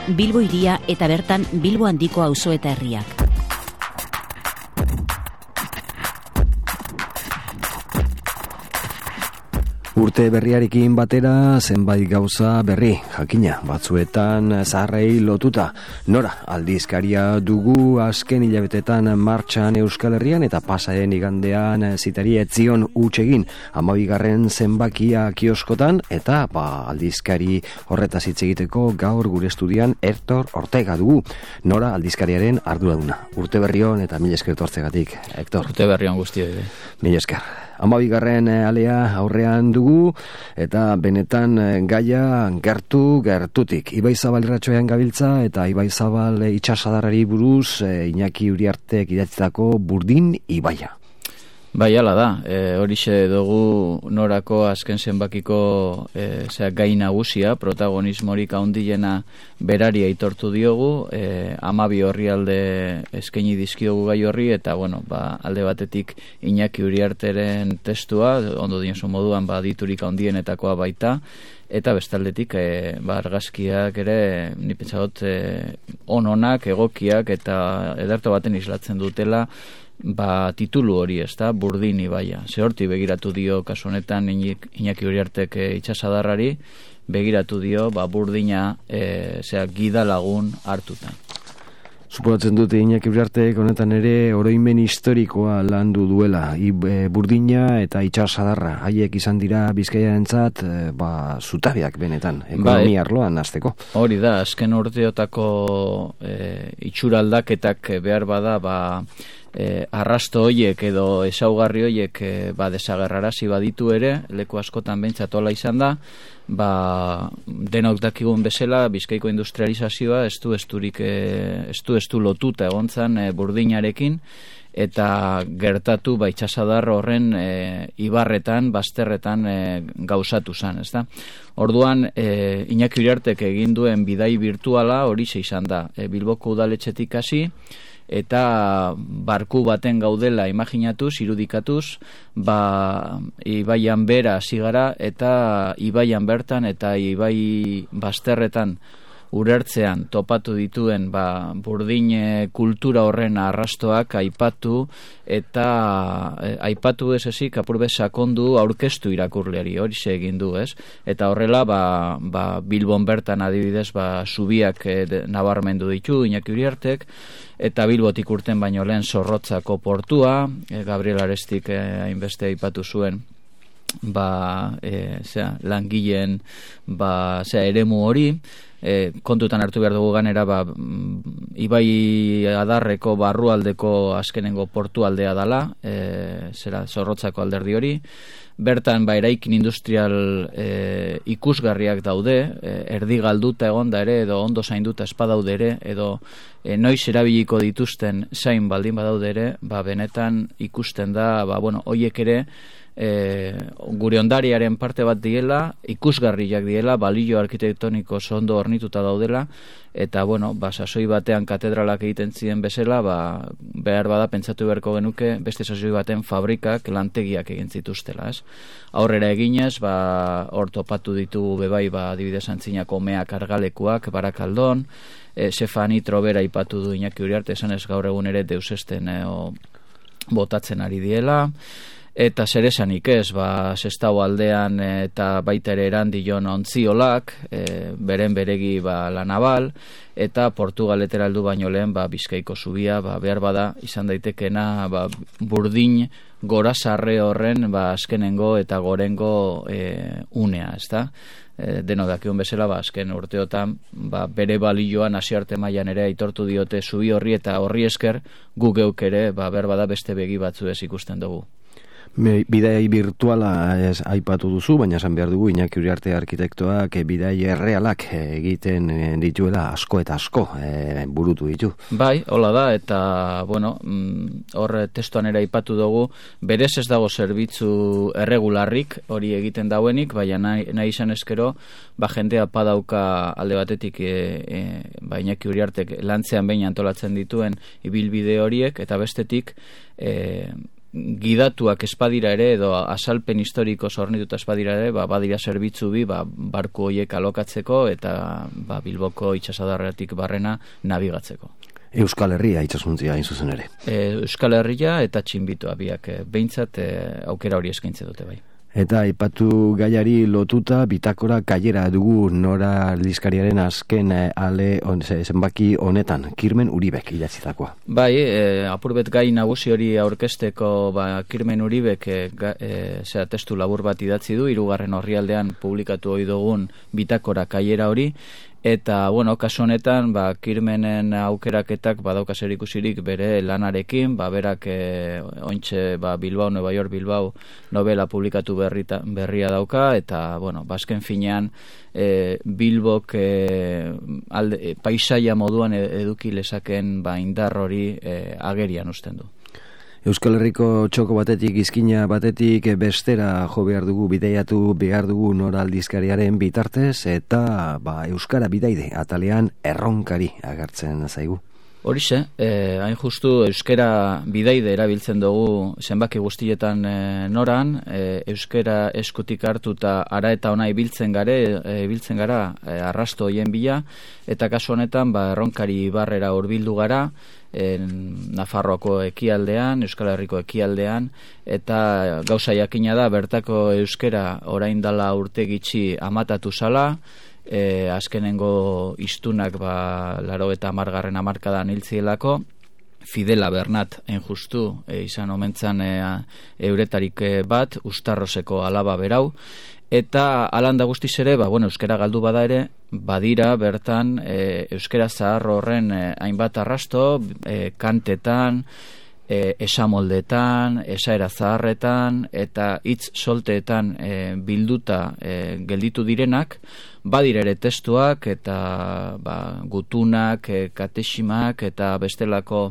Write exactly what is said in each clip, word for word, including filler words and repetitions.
Bilbo hiria eta bertan Bilbo handiko auzo eta herriak. Urte berriarekin batera zenbait gauza berri, jakina, batzuetan zaharrei lotuta. Nora, aldizkaria dugu azken hilabetetan martxan Euskal Herrian eta pasaren igandean zitari etzion hutsegin hamabigarren zenbakia kioskotan eta ba, aldizkari horretaz hitz egiteko gaur gure estudian Hector Ortega dugu. Nora, aldizkariaren arduraduna. Urte berrion eta mila esker tortzegatik, Hector. Urte berrion guztioi. Mila esker. Hamabigarren alea aurrean dugu eta benetan gaia gertu gertutik. Ibai Zabal irratsaioan gabiltza eta Ibai Zabal itsasadarrari buruz Iñaki Uriartek idatzitako Burdin ibaia. Bai, hala da, e, horixe dugu Norako azken zenbakiko e, zera, gai nagusia, protagonismorik handiena berari aitortu diogu, e, hamabi orrialde eskaini dizkiogu gai horri, eta bueno, ba, alde batetik Iñaki Uriarteren testua, ondo diozu moduan ba, diturik handienetakoa baita, eta bestaldetik e, ba, argazkiak ere ni pentsagot e, ononak, egokiak eta ederto baten islatzen dutela ba, titulu hori, ez da, Burdin ibaia. Zehorti begiratu dio, kasu honetan, Iñaki Uriartek e, itsasadarrari, begiratu dio, ba, Burdina e, zera, gida lagun hartuta. Suposatzen dute Iñaki Uriartek honetan ere oroimen historikoa landu duela. I, e, Burdina eta itsasadarra, haiek izan dira Bizkaiarentzat e, ba, zutabeak benetan, ekonomia arloan hasteko. Hori da, azken urteotako e, itxura aldaketak behar bada, ba, E, arrasto hoiek edo ezaugarri hoiek e, ba, desagerrarazi baditu ere, leku askotan behintzat hola izan da, ba, denok dakigun bezala, Bizkaiko industrializazioa estu esturik e, estu estu lotuta egontzan e, Burdinarekin, eta gertatu ba, itsasadar horren e, ibarretan, bazterretan e, gauzatu zen, ezta? Orduan, e, Iñaki Uriartek egin duen bidai virtuala horixe izan da, e, Bilboko udaletxetik hasi, eta barku baten gaudela imaginatuz, irudikatuz, ba, ibaian bera hasi gara eta ibaian bertan eta ibai bazterretan urertzean topatu dituen ba, Burdin kultura horren arrastoak aipatu eta e, aipatu ez ezik apurbe sakondu aurkeztu irakurleari hori egin du, ez? Eta horrela ba, ba, Bilbon bertan adibidez ba, zubiak e, nabarmendu ditu Iñaki Uriartek, eta Bilbotik urten baino lehen Zorrotzako portua, e, Gabriel Arestik e, hainbeste aipatu zuen ba, e, zera, langileen ba, zera, eremu hori, e, kontutan hartu behar dugu ganera ba, Ibai Adarreko barrualdeko azkenengo portualdea dala, e, zera, Zorrotzako alderdi hori, bertan ba, eraikin industrial e, ikusgarriak daude, e, erdi galduta egonda ere, edo ondo zainduta espadaude ere, edo e, noiz erabiliko dituzten zain baldin badaude ere, ba, benetan ikusten da, ba, bueno, hoiek ere, E, gure ondariaren parte bat diela, ikusgarriak diela, balio arkitektoniko ondo hornituta daudela, eta bueno, ba, sasoi batean katedralak egiten ziren bezala, ba, behar bada pentsatu beharko genuke beste sasoi baten fabrikak, lantegiak egin zituztela, ez? Aurrera eginez, ba, hor topatu ditugu bebai, ba, adibidez antzinako meak argalekuak, Barakaldon, e, Sefani Trobera ipatu du Iñaki Uriarte, esan ez gaur egun ere deusesten e, o, botatzen ari diela, eta zer esanik ez, ba, Sestao aldean eta baita ere Erandion ontziolak, e, beren beregi ba, La Naval, eta Portugaletera heldu baino lehen ba, Bizkaiko zubia, ba, behar bada izan daitekena ba, Burdin gorazarre horren ba, azkenengo eta gorengo e, unea, ezta? E, deno dakion bezala, ba, azken urteotan ba, bere balioan hasiarte mailan ere aitortu diote zubi horri, eta horri esker gu geuk ere ba, behar bada beste begi batzu ez ikusten dugu. Bidai virtuala ez aipatu duzu, baina esan behar dugu Iñaki Uriarte arkitektoak bidai errealak egiten dituela asko eta asko e, burutu ditu. Bai, hola da, eta bueno, hor testuan ere aipatu dugu, berez ez dago zerbitzu erregularrik hori egiten dauenik, baina nahi, nahi izan eskero, ba jendea padauka alde batetik e, e, ba Iñaki Uriartek lantzean behin antolatzen dituen ibilbide horiek, eta bestetik e, gidatuak espadira ere, edo azalpen historiko zornituta espadira ere, ba, badira zerbitzu bi, ba, barku hoiek alokatzeko, eta ba, Bilboko itxasadarretik barrena nabigatzeko. Euskal Herria itsasuntzia hain zuzen ere. E, Euskal Herria eta Txinbitoa biak e, behintzat e, aukera hori eskaintze dute bai. Eta aipatu gaiari lotuta bitakora kailera dugu Nora aldizkariaren azken ale on, zenbaki honetan, Kirmen Uribek idatzitakoa. Bai, e, apurbet gai nagusi hori aurkesteko ba, Kirmen Uribek e, e, zera testu labur bat idatzi du, hirugarren orrialdean publikatu ohi dugun bitakora kailera hori. Eta, bueno, kasu honetan, ba, Kirmenen aukeraketak badauka zerikusirik bere lanarekin, ba, berak e, ointxe ba, Bilbao, Nueva York, Bilbao novela publikatu berrita, berria dauka, eta, bueno, bazken finean e, Bilbok e, alde, e, paisaia moduan eduki lezaken ba, indar hori e, agerian usten du. Euskal Herriko txoko batetik, izkina batetik bestera jo behar dugu, bidaiatu behar dugu Nora aldizkariaren bitartez, eta ba, Euskara bidaide atalean erronkari agertzen zaigu. Horixe, eh, hain justu euskera bidaide erabiltzen dugu zenbaki guztietan eh, noran, eh, euskera eskutik hartuta ara eta ona ibiltzen gare, eh, ibiltzen gara eh, arrasto hoien bila, eta kasu honetan ba, erronkari barrera hurbildu gara, en Nafarroako ekialdean, Euskal Herriko ekialdean, eta gauza jakina da, bertako euskera orain dala urte gitxi amatatu zala, e, azkenengo istunak ba, laro eta amargarren amarkadan hiltzielako, Fidela Bernat hain justu e, izan omentzan e, euretarik bat, Ustarroseko alaba berau, eta alanda guztiz ere, ba, bueno, euskera galdu bada ere, badira bertan e, euskera zahar horren e, hainbat arrasto, e, kantetan, e, esamoldetan, esaera zaharretan, eta hitz solteetan e, bilduta e, gelditu direnak, badira ere testuak eta ba, gutunak, e, katesimak eta bestelako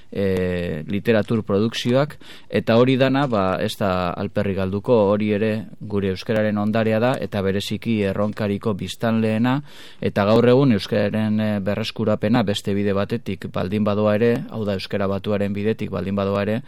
e, literatur produkzioak, eta hori dana ba, ez da alperri galduko, hori ere gure euskararen ondarea da, eta bereziki erronkariko biztanleena, eta gaur egun euskararen e, berreskurapena beste bide batetik baldin badoa ere, hau da euskara batuaren bidetik baldin badoa ere,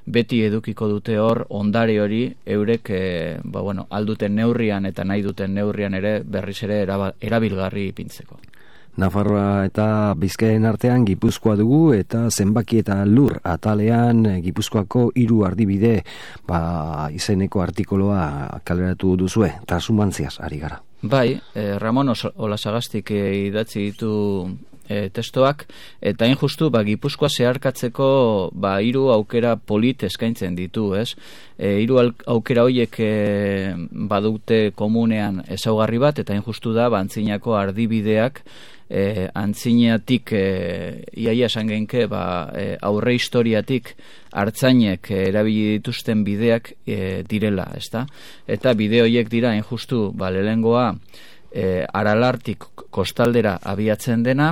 beti edukiko dute hor ondare hori eurek e, ba, bueno, alduten neurrian eta nahi duten neurrian ere berriz ere erabilgarri ipintzeko. Nafarroa eta Bizkaien artean Gipuzkoa dugu, eta zenbaki eta lur atalean Gipuzkoako hiru ardibide ba, izeneko artikoloa kaleratu duzue, transumantziaz ari gara. Bai, eh, Ramon Olasagastik eh, idatzi ditu e, testoak, eta hain justu ba, Gipuzkoa zeharkatzeko ba, hiru aukera polit eskaintzen ditu, ez? E, hiru aukera horiek e, badute komunean ezaugarri bat, eta hain justu da ba, antzinako ardibideak e, antzinatik e, iaia esan genke ba, e, aurre historiatik hartzainek e, erabili dituzten bideak e, direla, ezta? Eta bide horiek dira hain justu ba, lehengoa E, Aralartik kostaldera abiatzen dena,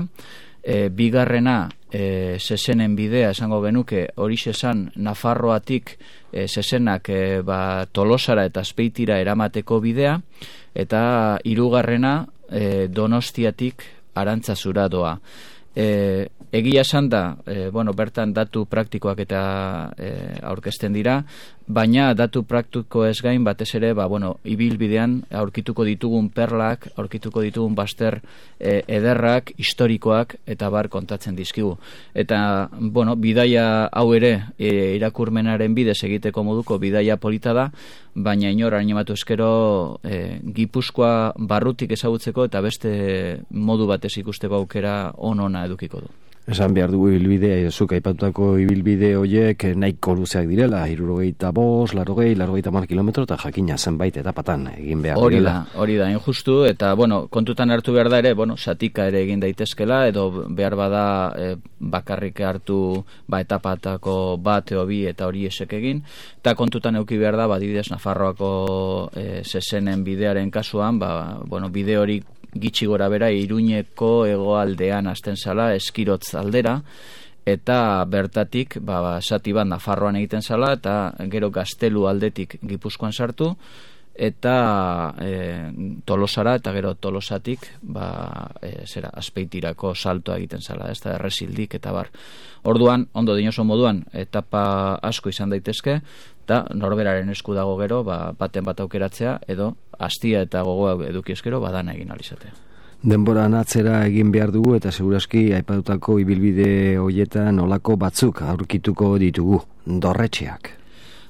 e, bigarrena e, Zezenen bidea esango genuke, horixe esan Nafarroatik e, Zezenak e, ba, Tolosara eta Azpeitira eramateko bidea, eta hirugarrena e, Donostiatik Arantzazura doa. E, egia esan da, e, bueno, bertan datu praktikoak eta e, aurkezten dira, baina datu praktiko ez gain batez ere, ba, bueno, ibilbidean aurkituko ditugun perlak, aurkituko ditugun baster e, ederrak, historikoak eta bar kontatzen dizkigu. Eta, bueno, bidaia hau ere e, irakurmenaren bidez egiteko moduko bidaia polita da, baina inor animatu eskero e, Gipuzkoa barrutik ezagutzeko eta beste modu batez ikusteko aukera on-ona edukiko du. Esan behar dugu ibilbidea, zuk aipatutako ibilbide horiek nahiko luzeak direla, hirurogeita bost, larogei, larrogeita hamar kilometro, eta jakina zenbait etapatan egin behar hori direla. Da, hori da, injustu, eta, bueno, kontutan hartu behar da ere, bueno, satika ere egin daitezkela, edo behar bada e, bakarrik hartu ba, etapatako bat eo bi eta hori esek egin, eta kontutan euki behar da, ba, adibidez Nafarroako e, Zezenen bidearen kasuan, ba, bueno, bide hori gitxi gora bera Iruñeko hegoaldean hasten zala, Eskirotz aldera, eta bertatik ba, sati bat Nafarroan egiten zala, eta gero Gaztelu aldetik Gipuzkoan sartu, eta e, Tolosara, eta gero Tolosatik ba, e, zera, Azpeitirako saltoa egiten zala, ez da erresildik eta bar. Orduan, ondo dinoso moduan, etapa asko izan daitezke, eta norberaren esku dago gero, ba, baten bat aukeratzea, edo hastia eta gogoa eduki eskero, badana egin alizatea. Denboran atzera egin behar dugu eta segurazki aipatutako ibilbide hoietan olako batzuk aurkituko ditugu, dorretxeak.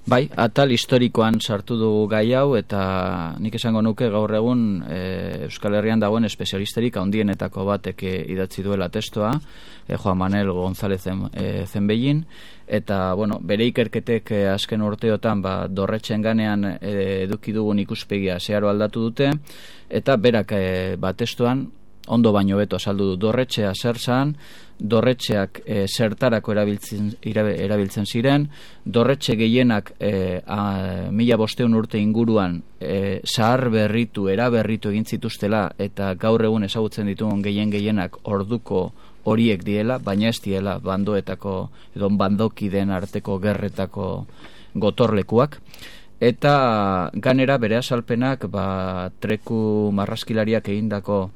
Bai, atal historikoan sartu dugu gai hau eta nik esango nuke gaur egun e, Euskal Herrian dagoen espezialisterik handienetako batek idatzi duela testoa, e, Juan Manuel González e, Zenbellin, eta bueno, bere ikerketek e, azken urteotan ba, dorretxen ganean e, eduki dugun ikuspegia zeharo aldatu dute, eta berak e, ba, testoan ondo baino beto azaldu du dorretxea zer zan, dorretxeak e, zertarako erabiltzen, erabiltzen ziren, dorretxe gehienak e, a, mila bosteun urte inguruan e, zahar berritu, eraberritu egin zituztela, eta gaur egun ezagutzen ditugun gehien gehienak orduko horiek diela, baina ez diela bandoetako, edo bandokideen arteko gerretako gotorlekuak. Eta ganera bere azalpenak ba, treku marrazkilariak egindako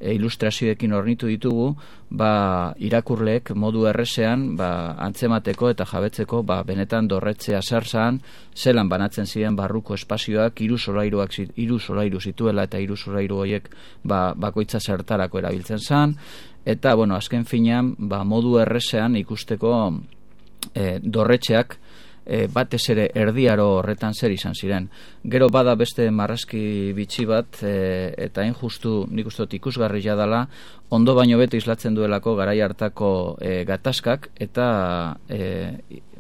ilustrazioekin hornitu ditugu, ba, irakurleek modu errezean ba, antzemateko eta jabetzeko ba, benetan dorretzea zer zan, zelan banatzen ziren barruko espazioak, hiru solairuak hiru solairu zituela eta hiru solairu horiek ba, bakoitza zertarako erabiltzen zan, eta bueno, azken finean ba, modu errezean ikusteko e, dorretxeak E, batez ere erdiaro horretan zer izan ziren. Gero bada beste marrazki bitxi bat e, eta hain justu nik uste dut ikusgarria dela, ondo baino beto islatzen duelako garai hartako e, gatazkak, eta e,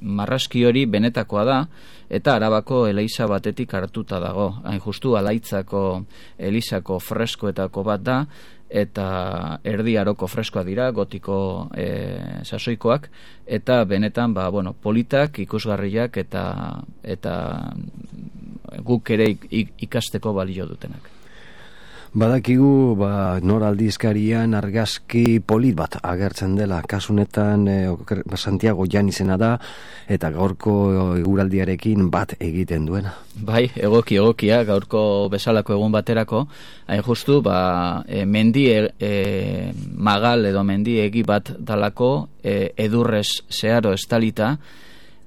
marrazki hori benetakoa da, eta Arabako eliza batetik hartuta dago. Hain justu Alaitzako elizako freskoetako bat da, eta erdi aroko freskoa dira, gotiko e, sasoikoak, eta benetan ba, bueno, politak, ikusgarriak eta eta guk ere ikasteko balio dutenak. Badakigu ba, nor aldizkarian argazki polit bat agertzen dela, kasunetan e, Santiago Jan izena da, eta gaurko eguraldiarekin bat egiten duena. Bai, egoki egokia, gaurko bezalako egun baterako, hain justu, ba, e, mendi e, e, magal edo mendi egi bat dalako, e, edurrez zeharo estalita,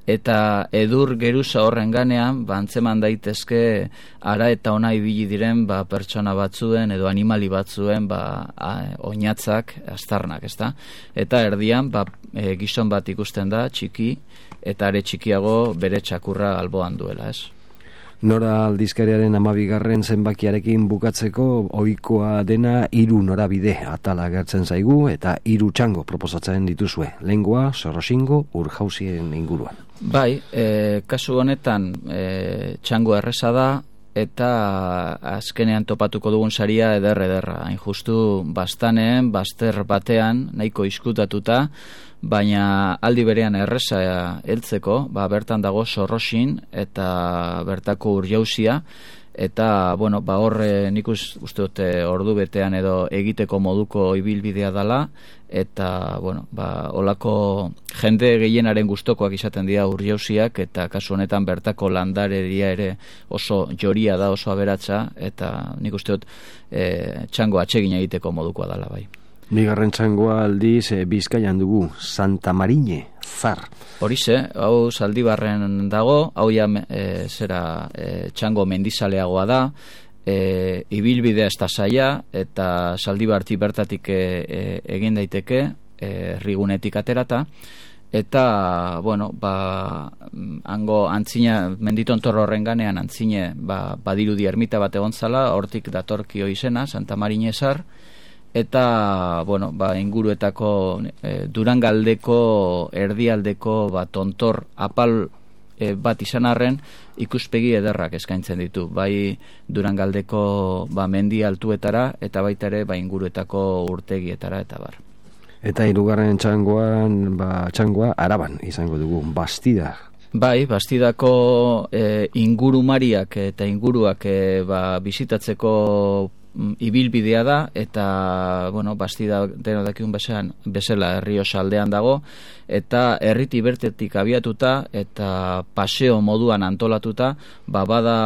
eta edur geruza horren ganean, ba, antzeman daitezke ara eta ona ibili diren ba, pertsona batzuen edo animali batzuen ba, a, oinatzak, astarnak, ezta? Eta erdian ba, e, gizon bat ikusten da, txiki, eta are txikiago bere txakurra alboan duela, ez? Nora aldizkariaren amabigarren zenbakiarekin bukatzeko ohikoa dena hiru norabide atala agertzen zaigu eta hiru txango proposatzen dituzue. Lehengoa, Sorrosingo, Urjauzien inguruan. Bai, e, kasu honetan e, txango erreza da, eta azkenean topatuko dugun saria eder ederra. Hain justu bastaneen, bazter batean, nahiko izkutatuta, baina aldi berean erreza heltzeko, ba, bertan dago Sorrosin eta bertako Urjauzia, eta bueno, ba, horre nik uste dute ordu betean edo egiteko moduko ibilbidea dala, eta bueno, ba, olako jende gehienaren gustokoak izaten dira Urjauziak, eta kasu honetan bertako landareria ere oso joria da, oso aberatsa, eta nik uste dut e, txango atsegin egiteko modukoa dala bai. Bigarren txangoa aldiz e, Bizkaian dugu, Santa Marine, Zar. Horixe, hau Zaldibarren dago, hau ja e, zera e, txango mendizaleagoa da, e, ibilbidea ez da zaila, eta Zaldibarti bertatik e, e, egin daiteke, e, rigunetik aterata, eta, bueno, ba, hango antzina, menditontor horren ganean antzine, ba, badirudi ermita bat egon zala, hortik datorkio izena, Santa Marine Zar, eta, bueno, ba, inguruetako e, Durangaldeko erdialdeko ba, tontor apal e, bat izan arren ikuspegi ederrak eskaintzen ditu, bai Durangaldeko ba, mendi altuetara eta baita ere ba, inguruetako urtegietara eta bar. Eta hirugarren txangoan, ba, txangoa Araban izango dugu, Bastida. Bai, Bastidako e, ingurumariak eta inguruak e, ba, bizitatzeko ibilbidea da, eta, bueno, bastida deno dakiun bezala, bezala Errioxa aldean dago, eta herriti bertetik abiatuta, eta paseo moduan antolatuta, ba, bada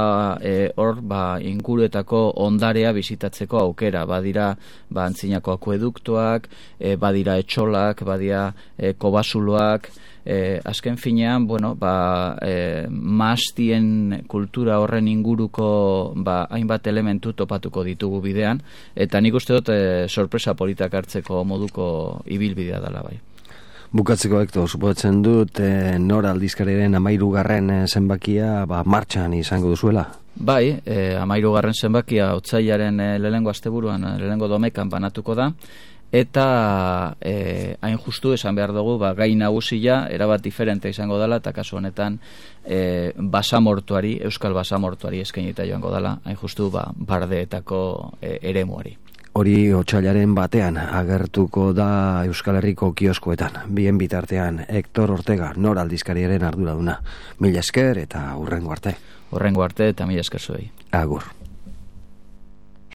e, hor, ba, inguruetako ondarea bizitatzeko aukera, badira, ba, antzinako akueduktoak, e, badira etxolak, badira e, kobasuloak, E, azken finean, bueno, ba, e, maastien kultura horren inguruko ba, hainbat elementu topatuko ditugu bidean, eta nik uste dut e, sorpresa politak hartzeko moduko ibilbidea dela bai. Bukatzeko Hektor, suposatzen dut e, Nora aldizkariaren amairugarren zenbakia ba, martxan izango duzuela? Bai, e, amairugarren zenbakia otsailaren e, lehengo asteburuan, lehengo domekan banatuko da, eta eh, hain justu esan behar dugu ba, gai nagusia erabat diferente izango dela, eta kasu honetan eh, basamortuari, euskal basamortuari eskainita joango dela, hain justu ba, bardeetako eh, eremuari. Hori otsailaren batean agertuko da Euskal Herriko kioskoetan. Bien bitartean Hektor Ortega, Nora aldizkariaren arduraduna. Mila esker eta hurrengo arte. Hurrengo arte eta mila esker zuei. Agur.